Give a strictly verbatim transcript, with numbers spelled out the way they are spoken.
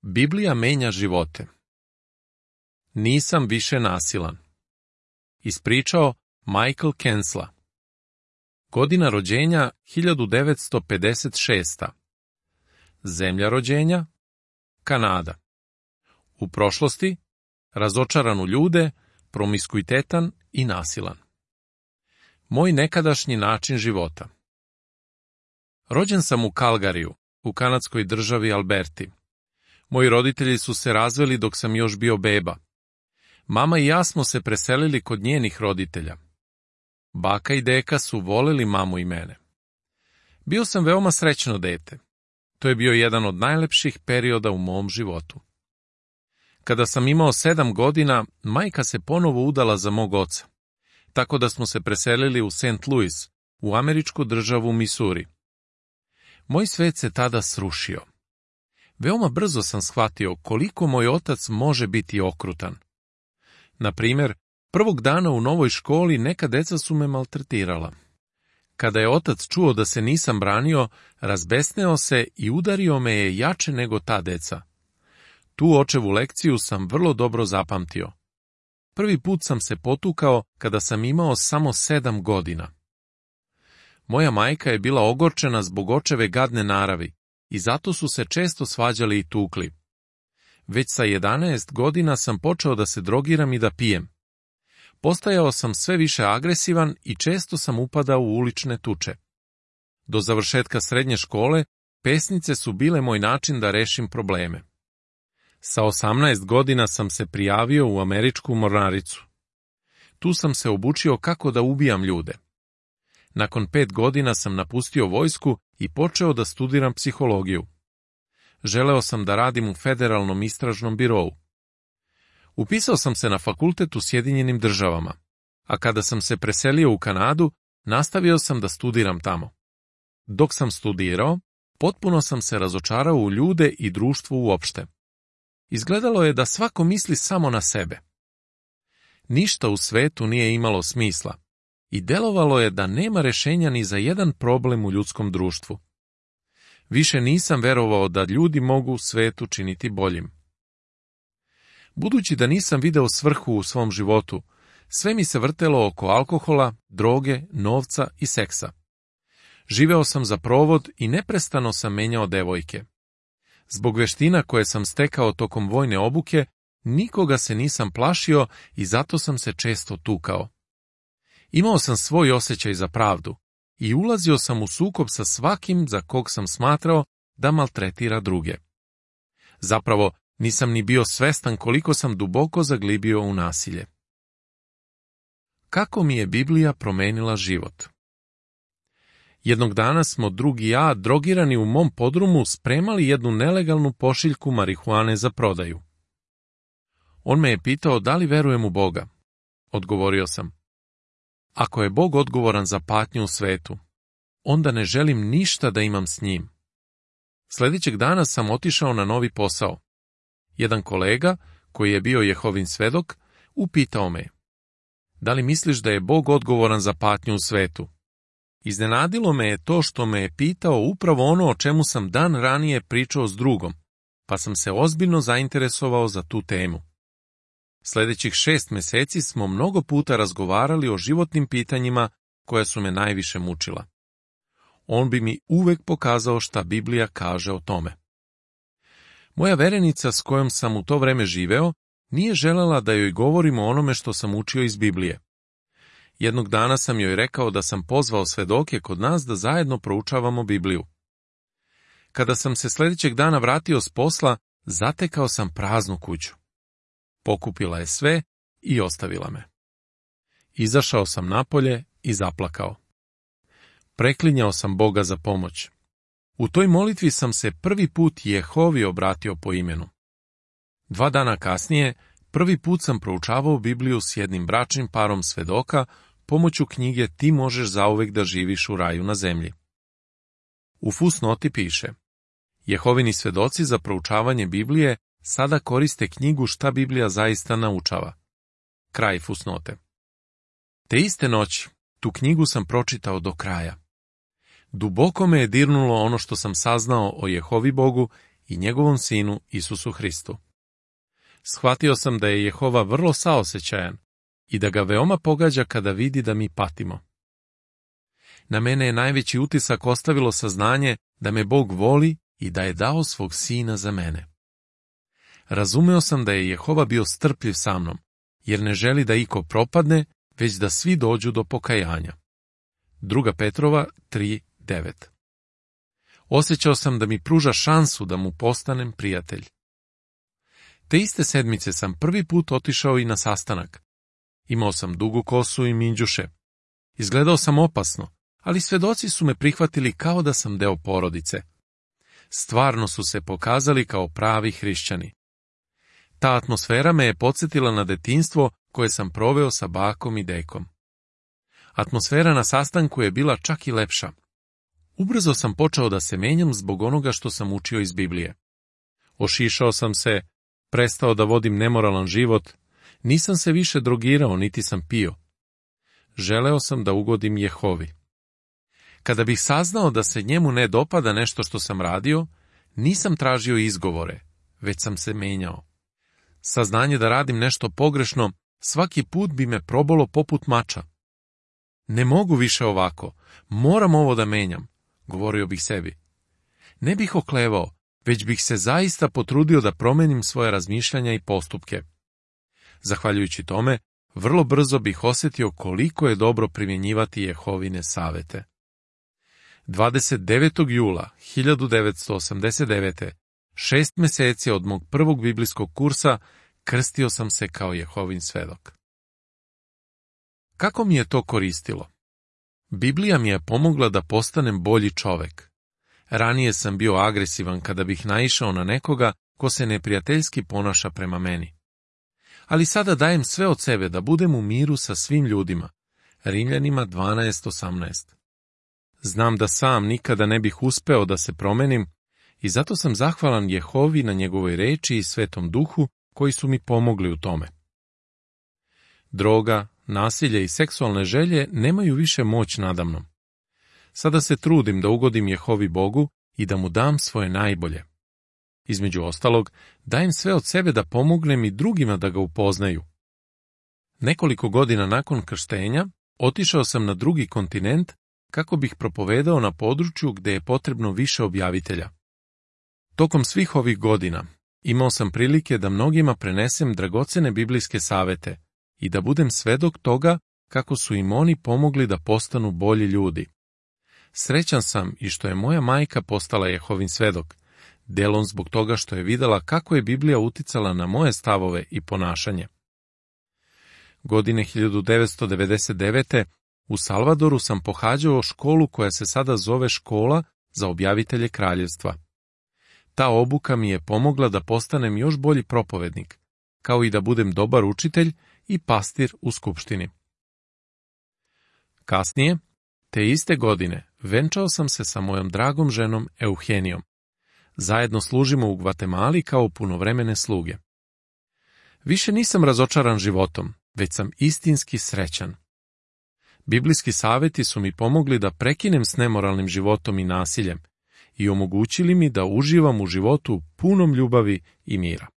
Biblija menja živote. Nisam više nasilan. Ispričao Michael Kensla. Godina rođenja hiljadu devetsto pedeset šesta. Zemlja rođenja Kanada. U prošlosti razočaran u ljude, promiskuitetan i nasilan. Moj nekadašnji način života. Rođen sam u Calgaryju, u kanadskoj državi Alberti. Moji roditelji su se razveli dok sam još bio beba. Mama i ja smo se preselili kod njenih roditelja. Baka i deka su voleli mamu i mene. Bio sam veoma srećno dete. To je bio jedan od najlepših perioda u mom životu. Kada sam imao sedam godina, majka se ponovo udala za mog oca, tako da smo se preselili u Saint Louis, u američku državu Missouri. Moj svet se tada srušio. Veoma brzo sam shvatio koliko moj otac može biti okrutan. Na primjer, prvog dana u novoj školi neka deca su me maltretirala. Kada je otac čuo da se nisam branio, razbesneo se i udario me je jače nego ta deca. Tu očevu lekciju sam vrlo dobro zapamtio. Prvi put sam se potukao kada sam imao samo sedam godina. Moja majka je bila ogorčena zbog očeve gadne naravi i zato su se često svađali i tukli. Već sa jedanaest godina sam počeo da se drogiram i da pijem. Postajao sam sve više agresivan i često sam upadao u ulične tuče. Do završetka srednje škole pesnice su bile moj način da rešim probleme. Sa osamnaest godina sam se prijavio u američku mornaricu. Tu sam se obučio kako da ubijam ljude. Nakon pet godina sam napustio vojsku i počeo da studiram psihologiju. Želeo sam da radim u Federalnom istražnom birou. Upisao sam se na fakultet u Sjedinjenim državama, a kada sam se preselio u Kanadu, nastavio sam da studiram tamo. Dok sam studirao, potpuno sam se razočarao u ljude i društvo uopšte. Izgledalo je da svako misli samo na sebe. Ništa u svetu nije imalo smisla i delovalo je da nema rešenja ni za jedan problem u ljudskom društvu. Više nisam verovao da ljudi mogu svet učiniti boljim. Budući da nisam video svrhu u svom životu, sve mi se vrtelo oko alkohola, droge, novca i seksa. Živeo sam za provod i neprestano sam menjao devojke. Zbog veština koje sam stekao tokom vojne obuke, nikoga se nisam plašio i zato sam se često tukao. Imao sam svoj osjećaj za pravdu i ulazio sam u sukob sa svakim za kog sam smatrao da maltretira druge. Zapravo, nisam ni bio svestan koliko sam duboko zaglibio u nasilje. Kako mi je Biblija promenila život? Jednog dana smo drug i ja, drogirani u mom podrumu, spremali jednu nelegalnu pošiljku marihuane za prodaju. On me je pitao da li verujem u Boga. Odgovorio sam: ako je Bog odgovoran za patnju u svetu, onda ne želim ništa da imam s njim. Sljedećeg dana sam otišao na novi posao. Jedan kolega, koji je bio Jehovin svedok, upitao me: da li misliš da je Bog odgovoran za patnju u svetu? Iznenadilo me je to što me je pitao upravo ono o čemu sam dan ranije pričao s drugom, pa sam se ozbiljno zainteresovao za tu temu. Sljedećih šest meseci smo mnogo puta razgovarali o životnim pitanjima koja su me najviše mučila. On bi mi uvek pokazao šta Biblija kaže o tome. Moja verenica s kojom sam u to vreme živeo nije želela da joj govorim o onome što sam učio iz Biblije. Jednog dana sam joj rekao da sam pozvao svedoke kod nas da zajedno proučavamo Bibliju. Kada sam se sljedećeg dana vratio s posla, zatekao sam praznu kuću. Pokupila je sve i ostavila me. Izašao sam napolje i zaplakao. Preklinjao sam Boga za pomoć. U toj molitvi sam se prvi put Jehovi obratio po imenu. Dva dana kasnije, prvi put sam proučavao Bibliju s jednim bračnim parom svedoka pomoću knjige Ti možeš zauvek da živiš u raju na zemlji. U fusnoti piše: Jehovini svedoci za proučavanje Biblije sada koriste knjigu Šta Biblija zaista naučava. Kraj fusnote. Te iste noći, tu knjigu sam pročitao do kraja. Duboko me je dirnulo ono što sam saznao o Jehovi Bogu i njegovom sinu Isusu Hristu. Shvatio sam da je Jehova vrlo saosećajan i da ga veoma pogađa kada vidi da mi patimo. Na mene je najveći utisak ostavilo saznanje da me Bog voli i da je dao svog sina za mene. Razumeo sam da je Jehova bio strpljiv sa mnom, jer ne želi da iko propadne, već da svi dođu do pokajanja. Druga Petrova tri devet. Osjećao sam da mi pruža šansu da mu postanem prijatelj. Te iste sedmice sam prvi put otišao i na sastanak. Imao sam dugu kosu i minđuše. Izgledao sam opasno, ali svedoci su me prihvatili kao da sam deo porodice. Stvarno su se pokazali kao pravi hrišćani. Ta atmosfera me je podsjetila na detinjstvo koje sam proveo sa bakom i dekom. Atmosfera na sastanku je bila čak i lepša. Ubrzo sam počeo da se menjam zbog onoga što sam učio iz Biblije. Ošišao sam se, prestao da vodim nemoralan život, nisam se više drogirao niti sam pio. Želeo sam da ugodim Jehovi. Kada bih saznao da se njemu ne dopada nešto što sam radio, nisam tražio izgovore, već sam se menjao. Saznanje da radim nešto pogrešno svaki put bi me probalo poput mača. Ne mogu više ovako, moram ovo da menjam, govorio bih sebi. Ne bih oklevao, već bih se zaista potrudio da promenim svoje razmišljanja i postupke. Zahvaljujući tome, vrlo brzo bih osjetio koliko je dobro primjenjivati Jehovine savete. dvadeset devetog jula hiljadu devetsto osamdeset devete. Šest meseci od mog prvog biblijskog kursa, krstio sam se kao Jehovin svedok. Kako mi je to koristilo? Biblija mi je pomogla da postanem bolji čovek. Ranije sam bio agresivan kada bih naišao na nekoga ko se neprijateljski ponaša prema meni. Ali sada dajem sve od sebe da budem u miru sa svim ljudima. Rimljanima dvanaest osamnaest. Znam da sam nikada ne bih uspeo da se promenim i zato sam zahvalan Jehovi na njegovoj reči i Svetom Duhu koji su mi pomogli u tome. Droga, nasilje i seksualne želje nemaju više moć nadamnom. Sada se trudim da ugodim Jehovi Bogu i da mu dam svoje najbolje. Između ostalog, dajem sve od sebe da pomognem i drugima da ga upoznaju. Nekoliko godina nakon krštenja otišao sam na drugi kontinent kako bih propovedao na području gde je potrebno više objavitelja. Tokom svih ovih godina imao sam prilike da mnogima prenesem dragocene biblijske savete i da budem svedok toga kako su im oni pomogli da postanu bolji ljudi. Srećan sam i što je moja majka postala Jehovin svedok, delom zbog toga što je videla kako je Biblija uticala na moje stavove i ponašanje. Godine hiljadu devetsto devedeset devete. u Salvadoru sam pohađao školu koja se sada zove Škola za objavitelje kraljevstva. Ta obuka mi je pomogla da postanem još bolji propovednik, kao i da budem dobar učitelj i pastir u skupštini. Kasnije, te iste godine, venčao sam se sa mojom dragom ženom Euhenijom. Zajedno služimo u Gvatemali kao punovremene sluge. Više nisam razočaran životom, već sam istinski srećan. Biblijski saveti su mi pomogli da prekinem s nemoralnim životom i nasiljem i omogućili mi da uživam u životu punom ljubavi i mira.